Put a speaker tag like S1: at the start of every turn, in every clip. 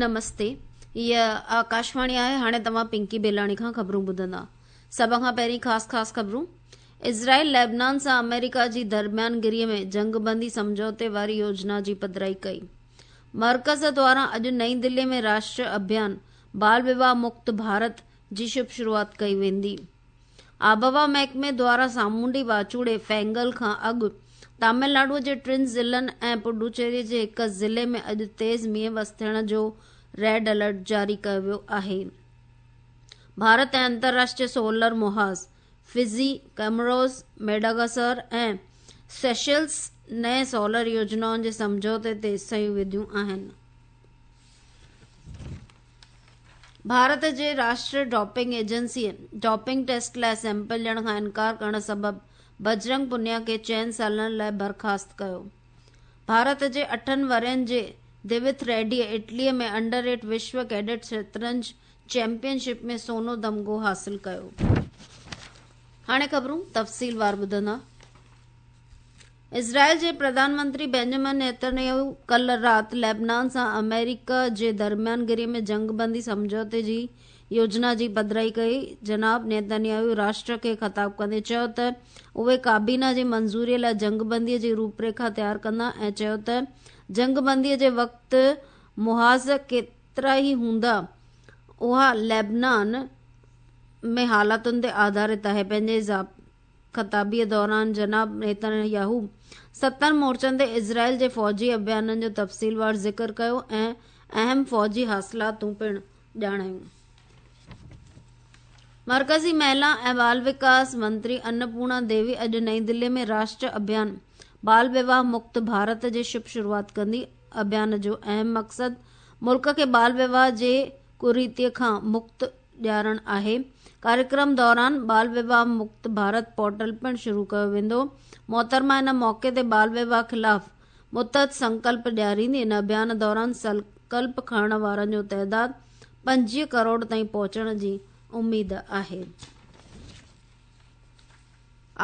S1: نمستي هيء آڪاشواڻي آهي هاڻي توهان پنڪي بيلاڻي کان خبرون ٻڌندا سڀ کان پهرين خاص خاص خبرون اسرائيل ليبنان سان آمريڪا جي درميانگيري ۾ جنگبندي سمجهوتي واري يوجنا جي پڌرائي ڪئي مرڪز دواران اڄ نئين دلي ۾ راشٽريه اڀيان بال وواهه مڪت ڀارت جي شڀ شروعات ڪئي ويندي آبهوا محڪمي دواران سامونڊي واچوڙي فينگل کان اڳ تامل ناڊو جي ٽن ضلعن ۽ پڊوچيري جي هڪ ضلعي ۾ اڄ تيز مينهن وس ٿيڻ جو ريڊ الرٽ جاري ڪيو ويو آهي. ڀارت ۽ انترراشٽريه سولر محاذ، فزي، ڪيمروز، ميڊاگاسر ۽ سيشلز نئين سولر يوجنائن جي سمجهوتي تي صحيحون وڌيون آهن. ڀارت جي راشٽريه ڊوپنگ ايجنسيء ڊوپنگ ٽيسٽ لاء سيمپل ڏيڻ کان انڪار ڪرڻ سبب بجرنگ پونيا کي چئن سالن لاء برخاست ڪيو. ڀارت جي اٺن ورهين جي دويٿ ريڊيء اٽليء ۾ انڊر ايٽ وشو ڪيڊٽ شطرنج چيمپيئن شپ ۾ سونو تمغو حاصل ڪيو. هاڻي خبرون تفصيلوار ٻڌندا. اسرائيل جي پرڌان منتري بينجمن نيتنياهو ڪلهه رات ليبنان سان آمريڪا جي درميانگيري ۾ جنگ بندي سمجهوتي جي يوجنا جي پڌرائي ڪئي. جناب نيتنياهو راشٽر کي خطاب ڪندي چيو ته اهي ڪابينا جي منظوري لاء جنگ بندي جي روپريکا تيار ڪندا ۽ چيو ته جنگ بندي جي وقت محاذ ڪيترا ئي هوندا اها ليبنان ۾ حالتن تي آڌارت آهي. پنهنجي خطابيء دوران جناب نيتن ياهو ستن مورچن تي اسرائيل جي فوجي اڀيانن جو تفصيلوار ذڪر ڪيو ۽ اهم فوجي حاصلاتون پڻ ڄاڻايون. مرڪزي مهلا ۽ بال وڪاس منتري انپورڻا ديوي اڄ نئين دلي ۾ راشٽريه اڀيان بال وواهه مڪت ڀارت جي شڀ شروعات ڪندي. اڀيان جو اهم مقصد ملڪ کي بال وواهه جي ڪريتيء کان مڪت ڏيارڻ آهي. ڪاريڪرم دوران بال وواهه مڪت ڀارت پورٽل پڻ شروع ڪيو ويندو. محترمه ان موقعي تي بال وواهه خلاف متحد سنڪلپ ڏياريندي. ان اڀيان دوران سنڪلپ کڻڻ وارن جو تعداد 25 ڪروڙ تائين پهچڻ جي اميد آهي.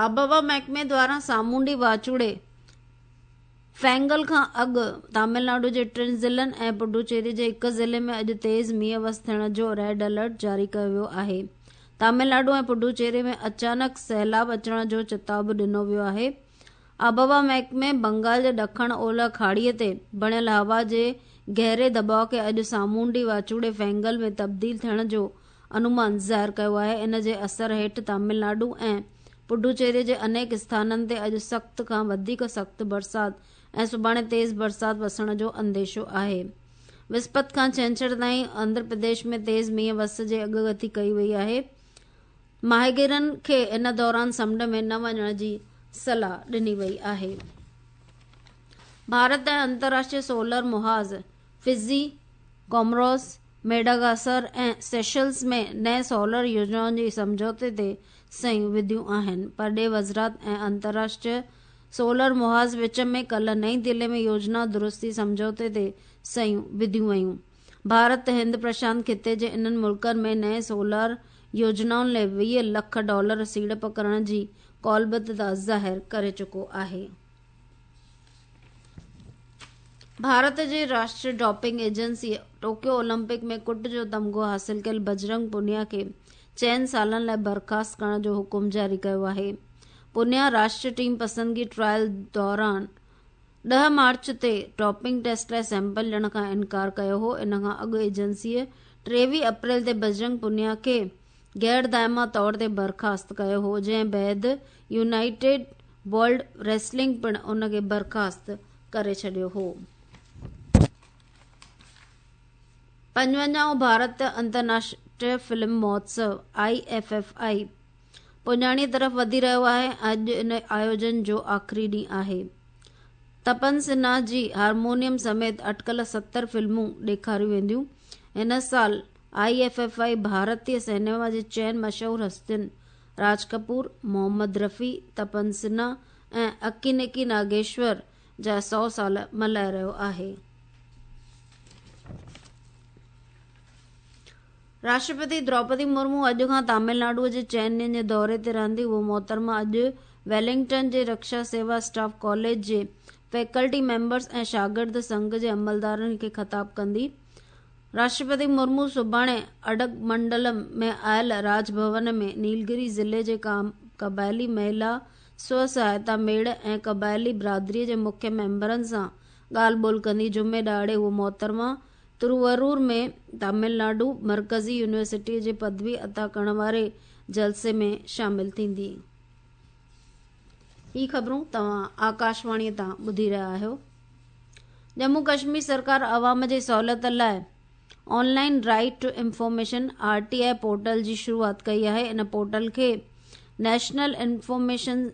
S1: آبهوا محڪمي دواران سامونڊي واچوڙي فينگل کان اڳ تامل ناڊو جي ٽن ضلعن ۽ پڊوچيري جي هڪ ضلعي ۾ اڄ تيز مينهن وس ٿيڻ جو ريڊ الرٽ جاري ڪيو ويو آهي. تامل ناڊو ۽ پڊوچيري ۾ اچانڪ سيلاب اچڻ جو چتاء به ڏنو ويو آهي. آبهوا محڪمي بنگال جي ڏکڻ اولهه کاڙي تي بڻيل هوا جي گهري دٻاء کي اڄ سامونڊي واچوڙي فينگل ۾ تبديل ٿيڻ جو انومان ظاهر ڪيو آهي. ان جي اثر هيٺ تامل ناڊو ۽ پڊوچيري جي انيڪ اسٿانن تي اڄ سخت کان وڌيڪ سخت برسات ۽ سڀاڻي تيز برسات وسڻ جو انديشو آهي. وسپت کان ڇنڇر تائين آنڌرا پرديش ۾ تيز مينهن وس جي اڳڪٿي ڪئي وئي آهي. ماهيگيرن کي ان دوران سمنڊ ۾ نه وڃڻ جي صلاح ڏني وئي آهي. ڀارت ۽ انترراشٽريه سولر محاذ، فزي، ڪومروس، ميڊاگاسر ۽ سيشلز ۾ نئين سولر يوجنائن جي سمجهوتي تي صحيحون وڌيون آهن. پرڏيهه وزارت ۽ انترراشٽريه سولر محاذ وچ ۾ ڪلهه نئين دهلي ۾ يوجنا درستي سمجهوتي تي صحيحون وڌيون ويون. ڀارت هند پرشانت خطي جي انهن ملڪن ۾ نئين سولر يوجنائن لاء 20 لک ڊالر سيڙپ ڪرڻ جي قولبدتا ظاهر ڪري چڪو آهي. ڀارت جي راشٽريه ڊوپنگ ايجنسيء ٽوڪيو اولمپڪ ۾ ڪٽ جو تمغو حاصل ڪيل بجرنگ پونيا کي چئن سالن لاء برخاست ڪرڻ جو حڪم جاري ڪيو آهي. پونيا راشٽريه ٽيم پسندگي ٽرائل دوران 10 مارچ تي ڊوپنگ ٽيسٽ لاء سيمپل ڏيڻ کان انڪار ڪيو هو. ان کان اڳ ايجنسيء 23 اپريل تي بجرنگ پونيا کي غير دائما طور تي برخاست ڪيو هو، جنهن بعد يونائيٽيڊ ورلڊ ريسلنگ پڻ ان کي برخاست ڪري ڇڏيو هو. پنجونجاهون ڀارت انترناشٽريه فلم مهوتسو، I F F I, پڄاڻيء طرف وڌي رهيو آهي ۽ اڄ ان آيوجن جو آخري ڏينهن آهي. تپن سنها جي هارمونيم سميت اٽڪل 70 فلمون ڏيکاريون وينديون. هن سال I F F I ڀارتي سئنيما جي چئن مشهور هستين راج ڪپور، محمد رفيع، تپن سنها ۽ اڪينيڪي ناگيشور جا سئو سال ملهائي رهيو آهي. راشٽرپتي دروپدي مرمو اڄ کان تامل ناڊو جي چئن ڏينهن جي دوري تي رهندي. هوء محترمه اڄ ويلنگٽن جي رڪشا سيوا اسٽاف ڪاليج جي فيڪلٽي ميمبرز ۽ شاگرد سنگهه جي عملدارن کي خطاب ڪندي. راشٽرپتي مرمو سڀاڻي اڊگمنڊلم ۾ آيل راڄ ڀون ۾ نيلگري ضلعي جي قبائلي مهلا سو سهائتا ميڙ ۽ قبائلي برادري جي مکيه ميمبرن سان ڳالهه ٻولهه ڪندي. جمعي ڏهاڙي هوء محترمه تروورور ۾ تامل ناڊو مرڪزي يونيورسٽيء جي پدوي عطا ڪرڻ واري جلسي ۾ شامل ٿيندي. هي خبرون توهان آڪاشواڻيء تان ٻڌي رهيا آهيو. ڄمون ڪشمير سرڪار عوام جي سهولت لاء online right to information, R T I, portal جي شروعات ڪئي آهي. ان پورٽل کي national information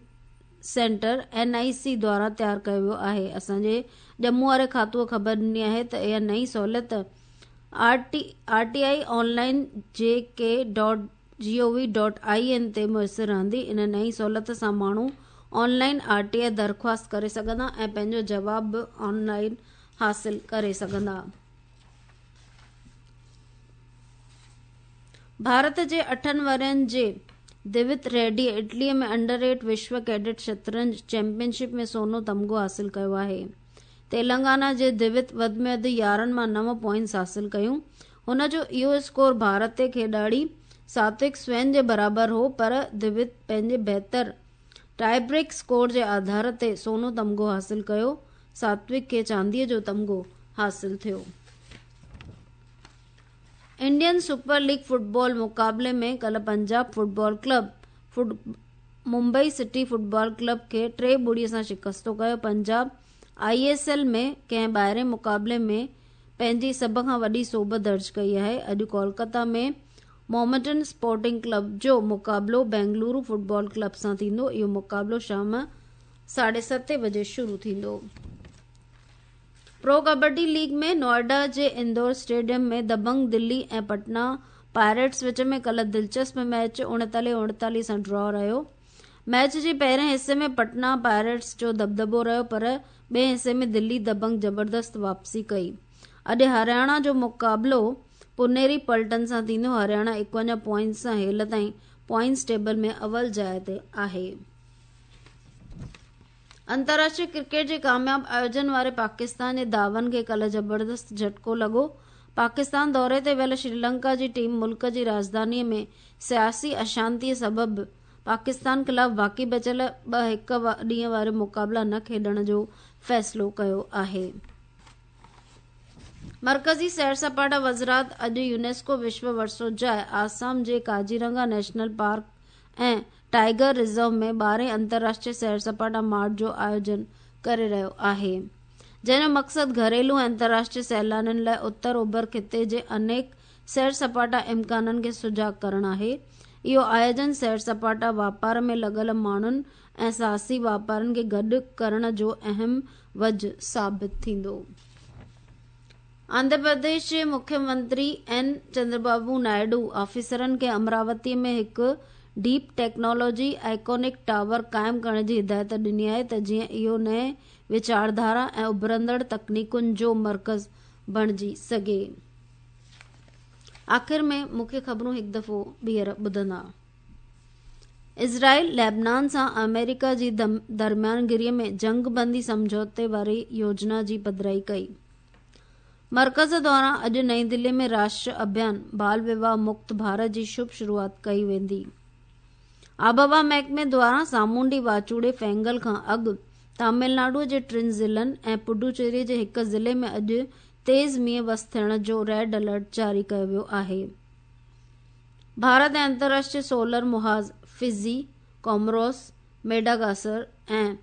S1: centre, N I C, دواران تيار ڪيو ويو آهي. اسان جي ڄمون واري کاتوء خبر ڏني آهي ته اها نئين سهولت R T I online J K dot G O V dot I N تي ميسر رهندي. ان نئين سهولت سان ماڻهو آن لائين آر ٽي آء درخواست ڪري سگهندا ۽ پنهنجو جواب به آن لائين حاصل ڪري سگهندا. ڀارت جي اٺن ورهين جي دوت ريڊيء اٽليء ۾ انڊر ايٽ وشو ڪيڊٽ شطرنج چيمپيئن شپ ۾ سونو تمغو حاصل ڪيو آهي. تيلنگانا جي دوت وڌ ۾ وڌ 11 مان 9 پوائنٽس حاصل ڪيون. هن جو اهو اسڪور ڀارتي کيڏاڙي ساتوڪ سوين جي برابر هو پر دوت پنهنجي بهتر ٽائي بريڪ اسڪور جي آڌار تي سونو تمغو حاصل ڪيو. ساتوڪ کي چانديء جو تمغو حاصل ٿيو. انڊين سپر ليگ فٽبال مقابلي ۾ ڪلهه Punjab football club Mumbai city football club کي ٽي ٻڙي سان شڪستو ڪيو. پنجاب I S L ۾ ڪنهن ٻاهرين مقابلي ۾ پنهنجي سڀ کان وڏي سوڀ درج ڪئي آهي. اڄ ڪولڪتا ۾ محمڊن اسپورٽنگ ڪلب جو مقابلو بينگلورو فٽبال ڪلب سان ٿيندو. اهو مقابلو شام 7:30 بجي شروع ٿيندو. پرو ڪبڊي ليگ ۾ نوئيڊا جي اندور اسٽيڊيم ۾ دبنگ دلي ۽ پٽنا پائريٽس وچ ۾ ڪلهه دلچسپ ميچ 39 39 سان ڊرا رهيو. ميچ جي پهرين حصي ۾ پٽنا پائريٽس جو دٻدٻو رهيو پر ٻئي حصي ۾ دلي دبنگ زبردست واپسي ڪئي. اڄ هرياڻا جو مقابلو پونيري پلٽن سان ٿيندو. هرياڻا 51 پوائنٽس سان هيل تائين پوائنٽس ٽيبل ۾ اول جاء تي آهي. انترراشٽري ڪرڪيٽ جي ڪامياب آيوجن واري پاڪستان جي دعون کي ڪلهه زبردست جهٽڪو لڳو. پاڪستان دوري تي ويل شريلنڪا جي ٽيم ملڪ جي راڄڌاني ۾ سياسي اشانتي سبب پاڪستان خلاف باقي بچيل ٻه هڪ ڏينهن واري مقابلا نه کيڏڻ جو فيصلو ڪيو آهي. مرڪزي سير سپاٽا وزارت اڄ يونيسڪو وشو ورثو جاء آسام جي Kaziranga national park ۽ tiger reserve ۾ ٻارهين انترراشٽري سير سپاٽا مارٽ جو آيوجن ڪري رهيو آهي، جنهن جو مقصد گهريلو ۽ انترراشٽري سيلانين لاء اتر اوڀر خطي جي انيڪ سير سپاٽا امڪانن کي سجاڳ ڪرڻ آهي. اهو آيوجن سير سپاٽا واپار ۾ لڳل ماڻهن ۽ ساهسي واپارين کي گڏ ڪرڻ جو اهم وجهه ثابت ٿيندو. آنڌرا پرديش جي مکيه منتري اين چندربابو نائيڊو آفيسرن کي امراوتي ۾ هڪ ڊيپ ٽيڪنالاجي آئيڪونڪ ٽاور قائم ڪرڻ جي هدايت ڏني آهي ته جيئن اهو نئين ويچارڌارا ۽ اڀرندڙ تڪنيڪن جو مرڪز بڻجي سگهي. آخر ۾ مکيه خبرون هڪ دفعو ٻيهر ٻڌندا. اسرائيل لبنان سان آمريڪا جي درميانگيري ۾ جنگ بندي سمجهوتي واري يوجنا جي پڌرائي ڪئي. مرڪز دوران اڄ نئين دلي ۾ راشٽر اڀيان بال وواهه مڪت ڀارت جي شڀ شروعات ڪئي ويندي. آبهوا محڪمي دواران سامونڊي واچوڙي فينگل کان اڳ تامل ناڊو جي ٽن ضلعن ۽ پڊوچيري جي هڪ ضلعي ۾ اڄ تيز مينهن وس ٿيڻ جو ريڊ الرٽ جاري ڪيو ويو آهي. ڀارت ۽ انترراشٽري سولر محاذ فزي، ڪومروس، ميڊاگاسر ۽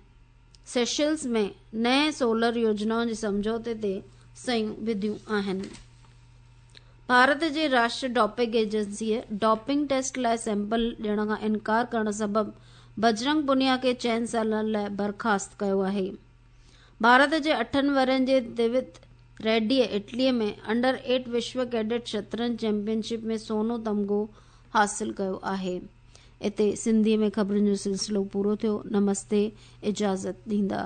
S1: سيشلز ۾ نئين سولر يوجنائن جي سمجهوتي تي صحيحون وڌيون آهن. ڀارت جي راشٽري ڊوپنگ ايجنسيء ڊوپنگ ٽيسٽ لاء سيمپل ڏيڻ کان انڪار ڪرڻ سبب بجرنگ پونيا کي چئن سالن لاء برخاست ڪيو آهي. ڀارت جي اٺن ورهين جي دوت ريڊيء اٽليء ۾ انڊر ايٽ وشو ڪيڊٽ شطرنج چيمپيئن شپ ۾ سونو تمغو حاصل ڪيو آهي. اتي سنڌيء ۾ خبرن جو سلسلو پورو ٿيو. نمستي اجازت ڏيندا.